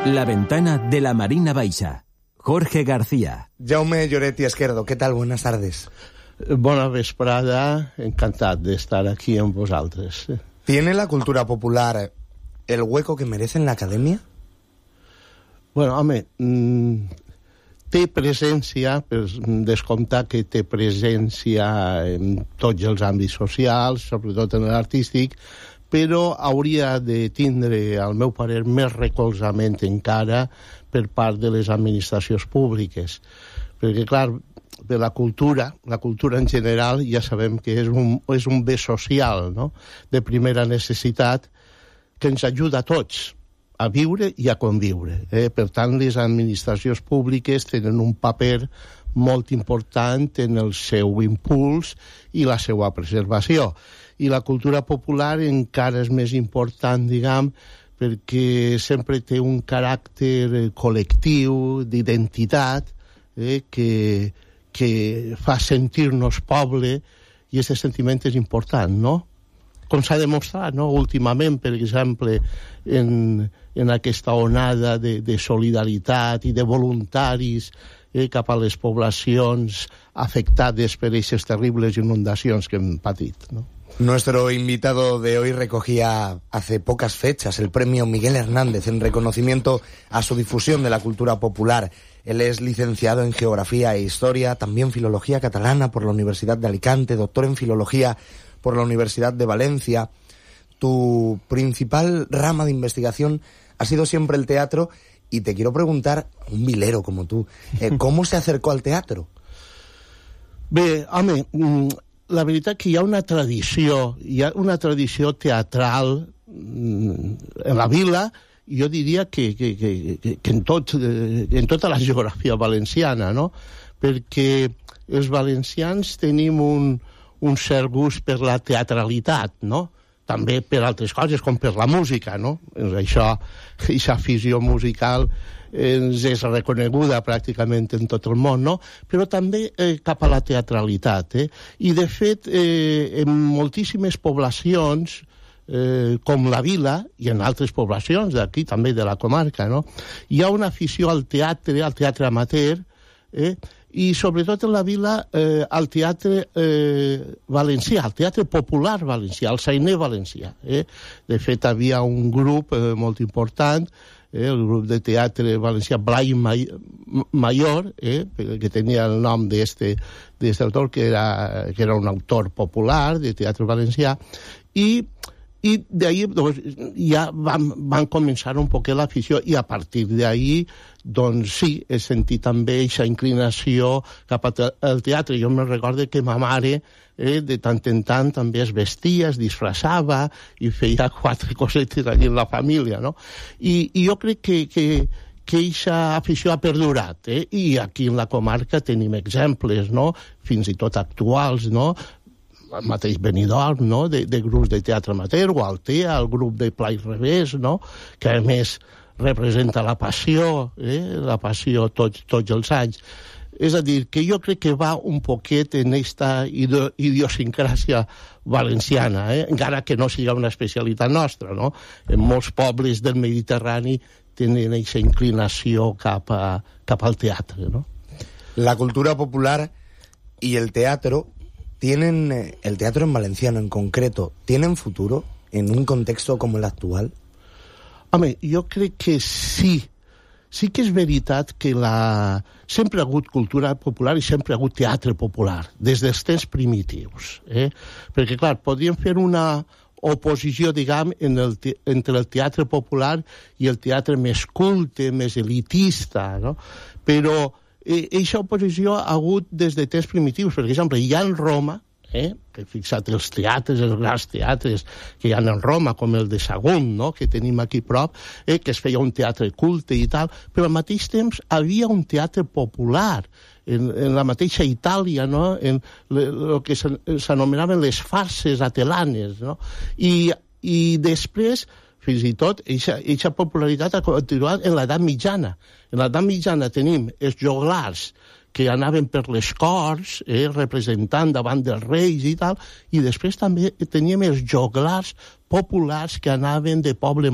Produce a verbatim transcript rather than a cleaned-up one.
La ventana de la Marina Baixa. Jorge García. Jaume Lloret i Esquerdo, ¿qué tal? Buenas tardes. Bona vesprada, encantat d'estar aquí amb vosaltres. ¿Tiene la cultura popular el hueco que merece en la academia? Bueno, home, té presència, per descomptar que té presència en tots els àmbits socials, sobretot en l'artístic, però hauria de tindre, al meu parer, més recolzament encara per part de les administracions públiques. Perquè, clar, de la cultura, la cultura en general, ja sabem que és un, és un bé social, no?, de primera necessitat, que ens ajuda a tots a viure i a conviure. Eh? Per tant, les administracions públiques tenen un paper molt important en el seu impuls i la seva preservació. I la cultura popular encara és més important, diguem, perquè sempre té un caràcter col·lectiu, d'identitat, eh, que, que fa sentir-nos poble, i aquest sentiment és important, no? Com s'ha demostrat, no?, últimament, per exemple, en, en aquesta onada de, de solidaritat i de voluntaris eh, cap a les poblacions afectades per aquestes terribles inundacions que hem patit, no? Nuestro invitado de hoy recogía hace pocas fechas el premio Miguel Hernández en reconocimiento a su difusión de la cultura popular. Él es licenciado en Geografía e Historia, también Filología Catalana por la Universidad de Alicante, doctor en Filología por la Universidad de Valencia. Tu principal rama de investigación ha sido siempre el teatro y te quiero preguntar, un vilero como tú, eh, ¿cómo se acercó al teatro? Bé, home, la veritat que hi ha una tradició, hi ha una tradició teatral en la vila, i jo diria que, que, que, que en, tot, en tota la geografia valenciana, no? Perquè els valencians tenim un, un cert gust per la teatralitat, no? També per altres coses, com per la música, no? Això, aquesta afició musical ens és reconeguda pràcticament en tot el món, no? Però també eh, cap a la teatralitat, eh? I, de fet, eh, en moltíssimes poblacions, eh, com la Vila, i en altres poblacions d'aquí, també de la comarca, no?, hi ha una afició al teatre, al teatre amateur, eh? I sobretot en la Vila eh, al teatre eh, valencià, al teatre popular valencià, al sainer valencià. Eh? De fet, havia un grup eh, molt important, eh, el grup de teatre valencià Blai Mayor, eh, que tenia el nom d'este autor, que era, que era un autor popular de teatre valencià, i i d'ahir doncs, ja van, van començar un poquet l'afició, i a partir d'ahir, doncs sí, he sentit també aquesta inclinació cap al teatre. Jo me'n recordo que ma mare eh, de tant en tant també es vestia, es disfressava i feia quatre cosetes allà en la família, no? I, i jo crec que, que, que aquesta afició ha perdurat, eh? I aquí en la comarca tenim exemples, no?, fins i tot actuals, no?, el mateix Benidorm, no?, de, de grups de teatre amateur, o Altea, el grup de Pla i Revés, no?, que a més representa la passió, eh?, la passió tots, tots els anys. És a dir, que jo crec que va un poquet en aquesta idiosincràsia valenciana, eh?, encara que no sigui una especialitat nostra, no? En molts pobles del Mediterrani tenen aquesta inclinació cap, a, cap al teatre, no? La cultura popular y el teatro tienen, el teatro en valenciano en concreto, ¿tienen futuro en un contexto como el actual? Home, jo crec que sí. Sí que és veritat que la... sempre ha hagut cultura popular i sempre ha hagut teatre popular, des dels temps primitius. Eh? Perquè, clar, podríem fer una oposició, diguem, en el te... entre el teatre popular i el teatre més culte, més elitista, no? Però aquesta oposició ha hagut des de temps primitius. Per exemple, hi ha en Roma, eh, que fixa't els teatres, els grans teatres que hi ha en Roma, com el de Sagunt, no?, que tenim aquí prop, eh, que es feia un teatre culte i tal, però al mateix temps havia un teatre popular, en, en la mateixa Itàlia, no?, en el que s'anomenaven les farses atelanes, no?, i, i després fins i tot, aquesta popularitat ha continuat en l'edat mitjana. En l'edat mitjana tenim els joglars que anaven per les corts, eh, representant davant dels reis i tal, i després també teníem els joglars populars que anaven de poble